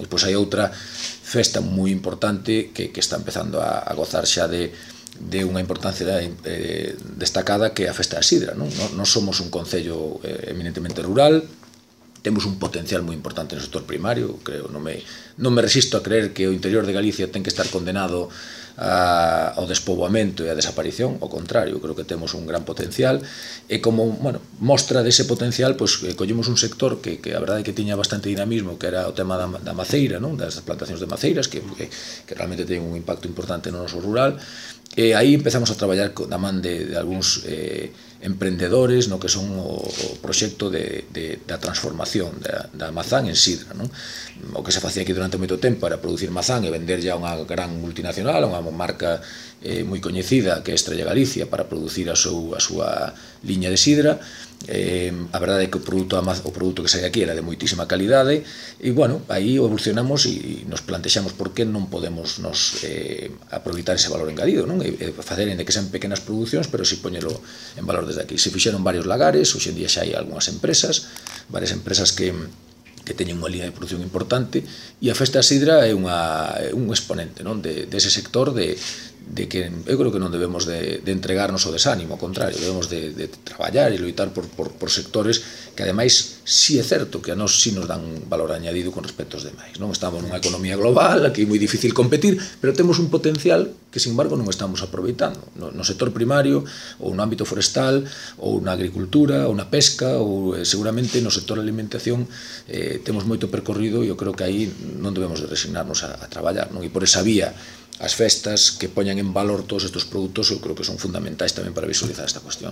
Depois hai outra festa moi importante que está empezando a gozar xa de unha importancia destacada, que é a festa da sidra. Non somos un concello eminentemente rural, temos un potencial moi importante no sector primario, creo, non me resisto a creer que o interior de Galicia ten que estar condenado ao despoboamento e á desaparición. Ao contrario, creo que temos un gran potencial, e como mostra dese potencial, collemos un sector que a verdade é que tiña bastante dinamismo, que era o tema da maceira, das plantacións de maceiras, que realmente ten un impacto importante no noso rural, e aí empezamos a traballar da man de algúns emprendedores no que son o proxecto da transformación da mazán en sidra. O que se facía aquí durante moito tempo era producir mazán e venderlle a unha gran multinacional, a unha marca moi coñecida que é Estrella Galicia, para producir a súa liña de sidra. A verdade é que o produto que sai aquí era de moitísima calidade, e, aí evolucionamos e nos plantexamos por que non podemos aproveitar ese valor engadido, e facer en que sean pequenas producións, pero si poñelo en valor desde aquí. Se fixeron varios lagares, hoxe en día xa hai algunhas empresas, varias empresas que teñen unha liña de produción importante, e a festa da sidra é un exponente dese sector, de que eu creo que non debemos de entregarnos ao desánimo, ao contrario, debemos de traballar e loitar por sectores que, ademais, si é certo que a nós si nos dan valor añadido con respecto aos demais. Estamos nunha economía global, aquí é moi difícil competir, pero temos un potencial que, sin embargo, non estamos aproveitando. No sector primario, ou no ámbito forestal, ou na agricultura, ou na pesca, ou seguramente no sector da alimentación temos moito percorrido, e eu creo que aí non debemos de resignarnos a traballar, e por esa vía as festas que poñan en valor todos estes produtos eu creo que son fundamentais tamén para visualizar esta cuestión.